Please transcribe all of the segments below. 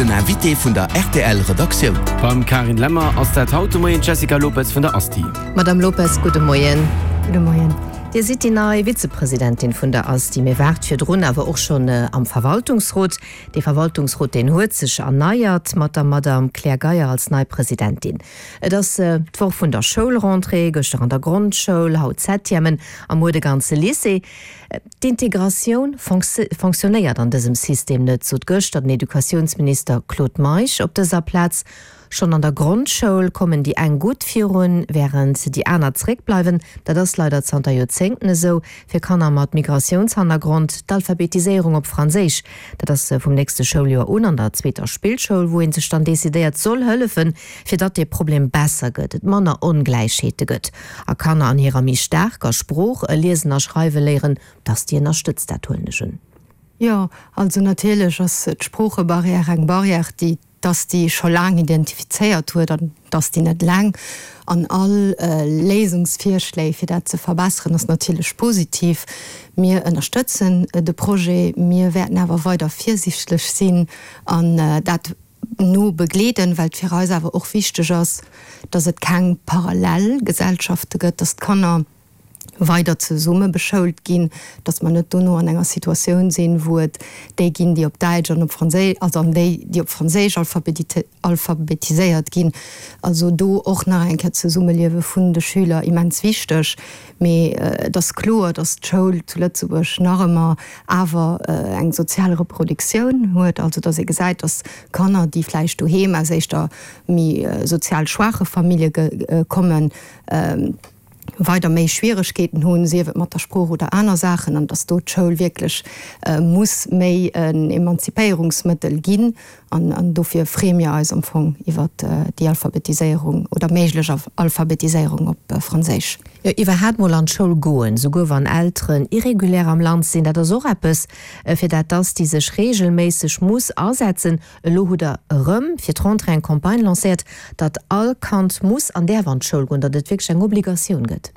Den Invité vun der rtl Redaktioun. Beim Carine Lemmer ass dat haut de Moien d'Jessica Lopez vun der Asti. Madame Lopez, gudde Moien. Gudde Moien. Dir sidd déi nei Vizepresidentin vun der Asti, mee waart virdrun awer och schonn am Verwaltungsrot. Dee Verwaltungsrot, deen huet sech erneiert mat der Madame Claire Geyer als nei Presidentin. Et ass d'Woch vun der Schoulrentrée, gëschter an der Grondschoul, haut d'Septièmen a muer de ganze Lycée. D'Integratioun fonctionnéiert an dësem System net, sot gëschter den Educatiounsminister Claude Meisch op dëser Plaz. Schonn an der Grondschoul kommen déi eng gutt virun, wärend déi aner zeréckbleiwen. Dat ass leider zanter Joerzéngten esou fir Kanner mat Migratiounshannergrond. D'Alphabetiséierung op Franséisch, dat ass vum nächste Schouljoer un an der zweeter Spillschoul, wou ee sech dann decidéiert, soll hëllefen, fir datt dee Problem besser gëtt, et manner Ongläichheete gëtt a Kanner an hirer méi staarker Sprooch liesen a schreiwe léieren, dass déi ënnerstëtzt. Dat huelen ech un. Jo, also natierlech ass d'Sproochebarrière eng Barrière, déi d'ASTI scho laang identifizéiert huet an d'ASTI net eleng. An all Léisungsvirschléi, fir dat ze verbesseren, ass natierlech positiv. Mir ënnerstëtzen de Projet. Mir wäerten awer weider virsichtlech sinn an dat no begleeden, well et fir eis awer och wichteg ass, dass et keng parallel Gesellschafte gëtt, dass d'Kanner weider zesumme beschoult ginn, dass mer net dono an enger Situatioun sinn, wou et déi ginn, déi op Däitsch an op Franséisch, also an déi, déi op Franséisch alphabetiséiert ginn. Also do och nach eng Kéier d'Zesummeliewe vun de Schüler immens wichteg. Mee et ass kloer, dass d'Schoul zu Lëtzebuerg nach ëmmer awer eng sozial Reproduktioun huet, also dass ee gesäit, dass Kanner, déi vläicht doheem aus éischter méi sozial schwaache Famillje kommen, weider méi Schwieregkeeten hunn, sief et mat der Sprooch oder aner Saachen, an dass do d'Schoul wierklech muss méi en Emanzipéierungsmëttel ginn. An dofir freeë mir eis am Fong iwwert déi Alphabetiséierung oder méiglech Alphabetiséierung op Franséisch. Jo, iwwerhaat mol an d'Schoul goen, souguer wann Elteren irregulär am Land sinn, dat ass och eppes, fir dat d'ASTI sech reegelméisseg muss asetzen. Elo hutt Der erëm fir d'Rentrée eng Campagne lancéiert, datt all Kand muss an däerf an d'Schoul goen, datt et wierklech eng Obligatioun gëtt.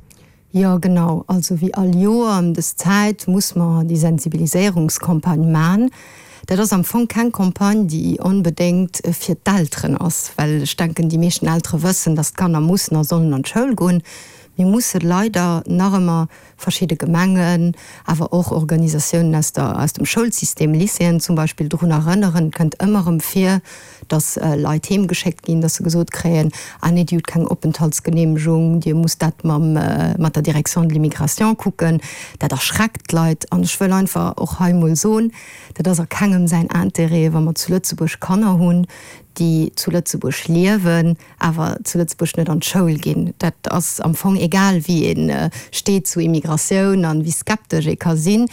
Jo, genau. Also wéi all Joer ëm dës Zäit muss mer déi Sensibiliséierungscampagne man. Dat ass am Fong keng Campagne, déi onbedéngt fir d'Elteren ass, well ech denken, déi meeschten Eltere wëssen, dass d'Kanner mussen a sollen an d'Schoul goen. Mir musse leider nach ëmmer verschidde Gemengen, awer och Organisatiounen aus der, aus dem Schoulsystem, Lycéeën zum Beispill, drun erënneren. Et kënnt ëmmer erëm vir, dass Leit heem geschéckt ginn, dass se gesot kréien, ah nee, Dir hutt keng Openthaltsgenehmegung, Dir musst dat mam, mat der Direction de l'immigration kucken. Dat erschreckt d'Leit. An ech wëll einfach och hei emol soen, dat ass a kengem säin Intérêt, wa mer zu Lëtzebuerg Kanner hunn, déi zu Lëtzebuerg liewen, awer zu Lëtzebuerg net an d'Schoul ginn. Dat ass am Fong egal, wéi ee steet zu Immigratioun an wéi skeptesch ee ka sinn.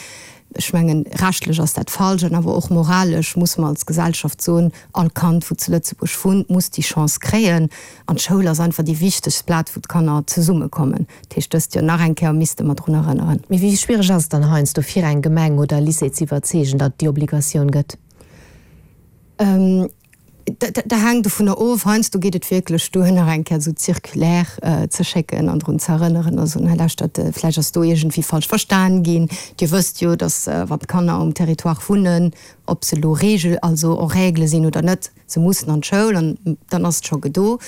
Ech mengen, rechtlech ass dat falsch an awer och moralesch muss mer als Gesellschaft soen, all Kand, wou zu Lëtzebuerg wunnt, muss déi Chance kréien. An d'Schoul ass einfach déi wichtegst Plaz, wou d'Kanner zesummekommen. Dat heescht, dëst Joer nach eng Kéier misste mer drun erënneren. Mee wéi schwiereg ass et dann heiansdo fir eng Gemeng oder e Lycée ze iwwerzeegen, datt et déi Obligatioun gëtt? Dat hänkt dovunner of. Heiansdo geet et wierklech duer, nach eng Kéier esou d'Circulaire ze schécken an drun ze erënneren a soen, Hei lauschtert, vläicht ass do iergendwéi falsch verstan ginn. Dir wësst jo, datt wann d'Kanner um Territoire wunnen, ob se elo regel, also en règle sinn oder net, se mussen an d'Schoul an dann ass et scho gedo.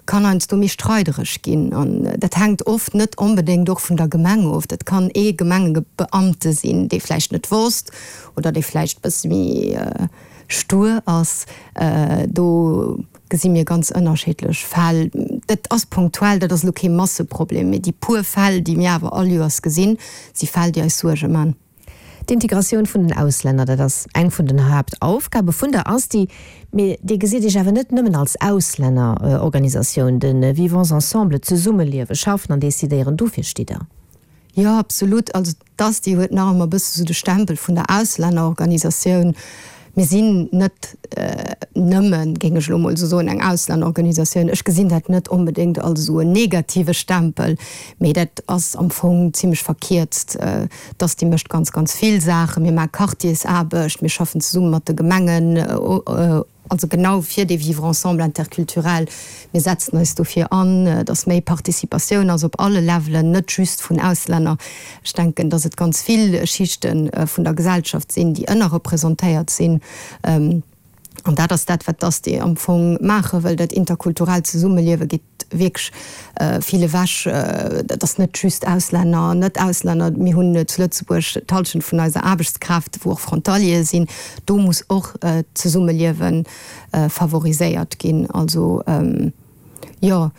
Kann heiansdo méi streidereg ginn an dat hänkt oft net onbedéngt och vun der Gemeng of. Dat kann ee Gemengebeamte sinn, dee vläicht net wosst oder dee vläicht e bësse méi stur ass. Do gesi mir ganz ënnerschiddlech Fäll. Dat ass punktuell, dat ass elo kee Masseproblem, mee déi puer Fäll, déi mir awer all Joers gesinn, si Fäll, déi eis Suerge man. D'Integratioun vun den Auslänner, dat ass eng vun den Haaptaufgabe vun der ASTI. Mee Dir gesitt Iech awer net nëmmen als Auslännerorganisatioun. De Vivons ensemble, d'Zesummeliewen, schaffen an decidéieren, dofir stitt Der. Jo, absolut. Also d'ASTI huet nach ëmmer e bësse sou de Stempel vun der Auslännerorganisatioun. Mir sinn net nëmmen, géing ech elo mol esou soen, eng Auslännerorganisatioun. Ech gesinn dat net onbedéngt als esou en negative Stempel, mee dat ass am Fong zimlech verkierzt. D'ASTI mécht ganz, ganz vill Saachen. Mir maache Quartiersaarbecht, mir schaffen zesumme mat de Gemengen, Also genau fir dee Vivre ensemble interculturel. Mir setzen eis dofir an, dass méi Participatioun ass op alle Levelen, net just vun Auslänner. Ech denken, dass et ganz vill Schichte vun der Gesellschaft sinn, déi ënnerrepresentéiert sinn. An An dat ass dat, wat d'ASTI am Fong maache wëll. Dat interkulturellt Zesummeliewe geet wierklech vill ewech. Dat ass net just Auslänner, Net-Auslänner. Mir hunn zu Lëtzebuerg d'Hallschent vun eiser Aarbechtskraaft, wou och Frontaliere sinn. Do muss och d'Zesummeliewe favoriséiert ginn. Also. Jo,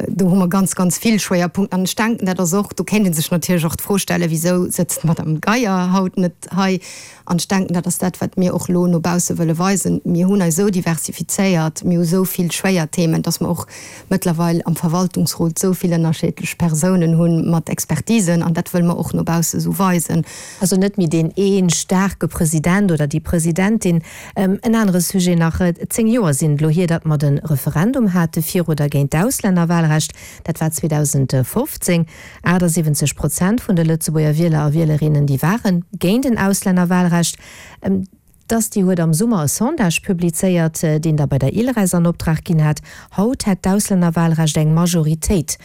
do hu mer ganz, ganz vill Schwéierpunkten. An ech denken, dat ass och, do kéint ee sech natierlech och d'Fro stellen, Wisou sëtzt d'Madame Geier haut net hei? An ech denken, dat ass dat, wat mir och elo no bausse wëlle weisen. Mir hunn eis esou diversifizéiert, mir hu esou vill Schwéierthemen, dass mer och mëttlerweil am Verwaltungsrot esou vill ënnerscheedlech Persounen hu mat Expertisen. An dat wëlle mer och no bausse esou weisen. Also net méi deen ee staarke President oder déi Presidentin. En anere Sujet nach, 10 Joer sinn et elo hier, datt mer de Referendum hate fir oder géint d'Auslännerwahlrecht. Dat war 2015. 78 Prozent vun de Lëtzebuerger Wieler a Wielerinnen, déi ware géint en Auslännerwahlrecht. D'Asti huet am Summer e Sondage publizéiert, deen der bei der ILRES an Optrag ginn hat. Haut hätt d'Auslännerwahlrecht eng Majoritéit,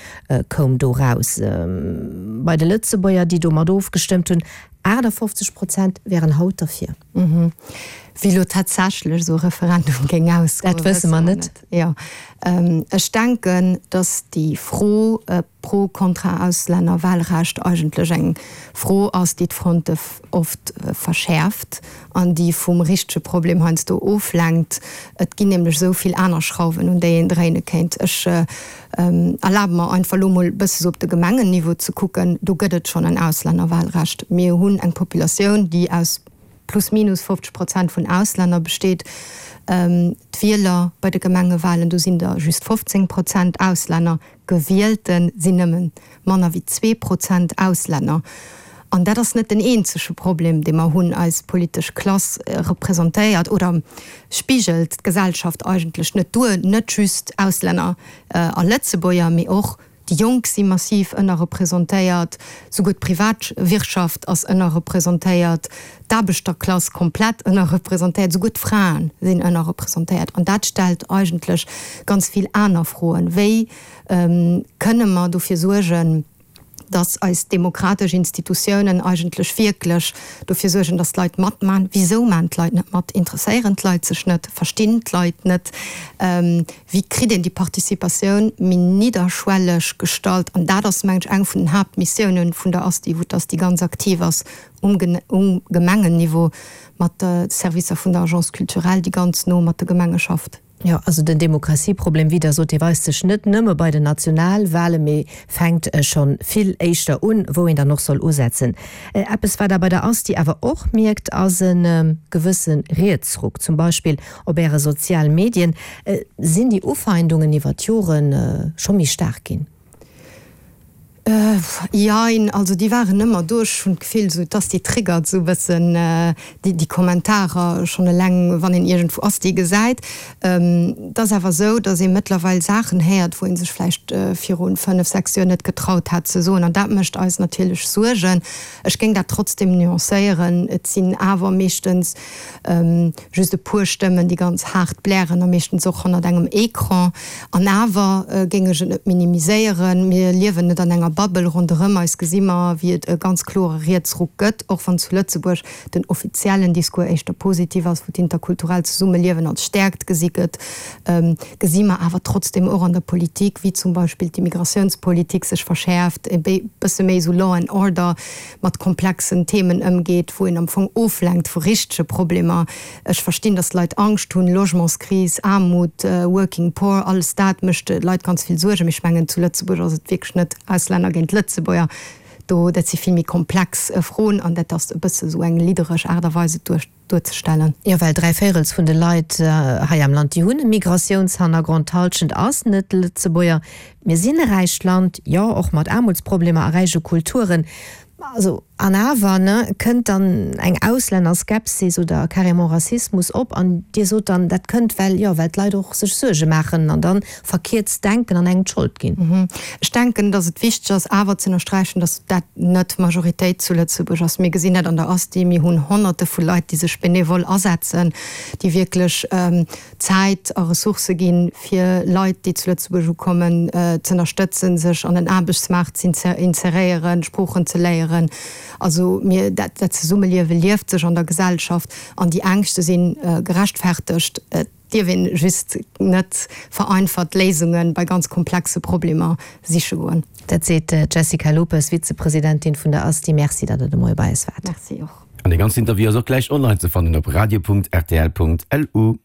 koum do raus. Bei de Lëtzebuerger, déi domat ofgestëmmt hunn, 58 Prozent wären haut derfir. Wéi elo tatsächlech esou e Referendum géing ausgoen, Dat wësse mer net. Jo. Ech denken, datt déi Fro pro, kontra Auslännerwahlrecht eigentlech eng Fro ass, déi d'Fronte oft verschäerft an déi vum richtege Problem heiansdo oflenkt. Et ginn nämlech esou vill aner Schrauwen, un déi een dréine kéint. Ech erlabe mer einfach elo mol e bësse sou op de Gemengenniveau ze kucken. Do gëtt et schonn en Auslännerwahlrecht. Mir hunn eng Populatioun, déi aus plus minus 50 Prozent vun Auslänner besteet. D'Wieler bei de Gemengewahlen, do sinn der just 15 Prozent Auslänner. Gewielte sinn nëmme manner wéi 2 Prozent Auslänner. An dat ass net den eenzege Problem, dee mer hunn. Eis politesch Klass representéiert oder spigelt d'Gesellschaft eigentlech net duer, net just Auslänner a Lëtzebuerger, mee och déi Jonk si massiv ënnerrepresentéiert, souguer d'Privatwirtschaft ass ënnerrepresentéiert, d'Aarbechterklass komplett ënnerrepresentéiert, souguer d'Frae sinn ënnerrepresentéiert. An dat stellt eigentlech ganz vill aner Froen. Wéi kënne mer dofir suergen, dass eis demokratesch Institutiounen eigentlech wierklech dofir suergen, dass d'Leit matman. Wisou man d'Leit net mat? Interesséieren d'Leit sech net? Verstinn d'Leit net? Wéi kritt een déi Participatioun méi nidderschwelleg gestallt? An dat ass, mengen ech, eng vun den Haaptmissiounen vun der ASTI, wou d'ASTI ganz aktiv ass um Gemengenniveau mat de Servicer vun der Agence culturelle, déi ganz no mat de Gemenge schafft. Jo, also den Demokratieproblem, wéi Der sot, dee weist sech net nëmme bei den Nationalwahlen, mee fänkt scho vill éischter un, wou een dann och soll usetzen. Eppes, wat Der bei der ASTI awer och mierkt, ass e gewësse Rietsruck. Zum Beispill op Äre sozial Medien. Sinn déi Ufeindungen iwwer d'Jore scho méi staark ginn? Jein, also déi waren ëmmer do. Ech hunn d'Gefill esou, d'Asti triggert esou e bëssen déi Kommentarer schonn eleng wann een iergendwou Asti gesäit. Et ass awer esou, datt ee mëttlerweil Saachen héiert, wou ee sech vläicht viru 5, 6 Joer net getraut hat ze soen. An dat mécht eis natierlech Suergen. Ech géing dat trotzdem nuancéieren. Et sinn awer meeschtens Just e puer Stëmmen, déi ganz haart blären a meeschtens och hannert engem Ecran. An awer géing ech et net minimiséieren. Mir liewen net an enger Bubble. Ronderëm eis gesi mer, wéi et e ganz klore Rietsruck gëtt, och wann zu Lëtzebuerg den offiziellen Discours éischter positiv ass, wou d'interkulturellt Zesummeliewen als Stäerkt gesi gëtt, gesi mer awer trotzdem och an der Politik, wéi zum Beispill d'Immigratiounspolitik sech verschäerft, e bësse méi esou Law and Order mat komplexen Themen ëmgeet, wou een am Fong oflenkt vu richtege Problemer. Ech verstinn, datt d'Leit Angscht hunn, Logementskris, Aarmut, Working Poor, alles dat mécht de Leit ganz vill Suergen. Mee ech mengen, zu Lëtzebuerg ass et wierklech net Auslänner géint Lëtzebuerger. Do, dat si vill méi komplex Froen an dat ass e bësse sou eng liddereg Aart a Weis, et duerch. duerzestellen. Jo, well dräivéirels vun de Leit hei am Land, déi hunn e Migratiounshannergrond, d'Hallschent ass net Lëtzebuerger. Mir sinn e räicht Land, jo, och mat Aarmutsproblemer a räiche Kulturen. Also, an awer, ne, kënnt dann eng Auslännerskepsis oder carrément Rassismus op an Dir sot dann, dat kënnt, well, jo, well d'Leit och sech Suerge maachen an dann verkierzt denken an engem d'Schold ginn. Ech denken, datt et wichteg ass awer ze ënnersträichen, datt dat net d'Majoritéit zu Lëtzebuerg ass. Mir gesinn dat an der Asti, mir hunn Honnerte vu Leit, déi sech benevol asetzen, déi wierklech Zäit a Ressourcë ginn, fir Leit, déi zu Lëtzebuerg ukommen, z'ënnerstëtzen, sech an den Aarbechtsmaart z'inseréieren, Sproochen ze léieren. Also mir, dat, dat Zesummeliewe lieft sech an der Gesellschaft an déi Ängschte si gerechtfertegt. Et dierf een just net vereinfacht Léisunge bei ganz komplexe Problemer siche goen. Dat seet d'Jessica Lopes, Vizepresidentin vun der ASTI. Merci, datt Der de Moie bei eis waart. Merci och. An dee ganzen Interview ass och gläich online ze fannen op radio.rtl.lu.